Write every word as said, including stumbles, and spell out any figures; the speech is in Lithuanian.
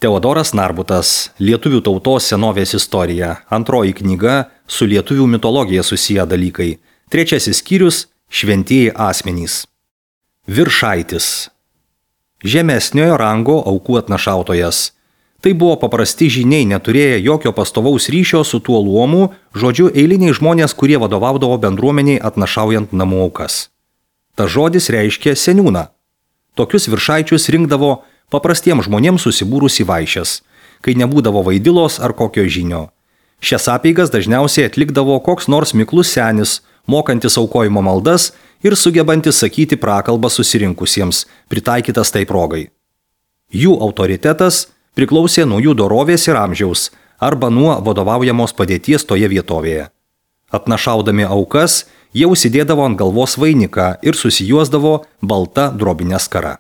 Teodoras Narbutas, Lietuvių tautos senovės istorija, antroji knyga su lietuvių mitologija susiję dalykai, trečiasis skyrius – šventieji asmenys. Viršaitis. Žemesniojo rango aukų atnašautojas. Tai buvo paprasti žyniai, neturėję jokio pastovaus ryšio su tuo luomu, žodžiu eiliniai žmonės, kurie vadovaudavo bendruomeniai atnašaujant namų aukas. Ta žodis reiškia seniūną. Tokius viršaičius rinkdavo paprastiems žmonėms susibūrus į vaišes, kai nebūdavo vaidilos ar kokio žynio. Šias apeigas dažniausiai atlikdavo koks nors miklus senis, mokantis aukojimo maldas ir sugebantis sakyti prakalbą susirinkusiems, pritaikytas tai progai. Jų autoritetas priklausė nuo jų dorovės ir amžiaus arba nuo vadovaujamos padėties toje vietovėje. Atnašaudami aukas, jie užsidėdavo ant galvos vainiką ir susijuosdavo balta drobine skara.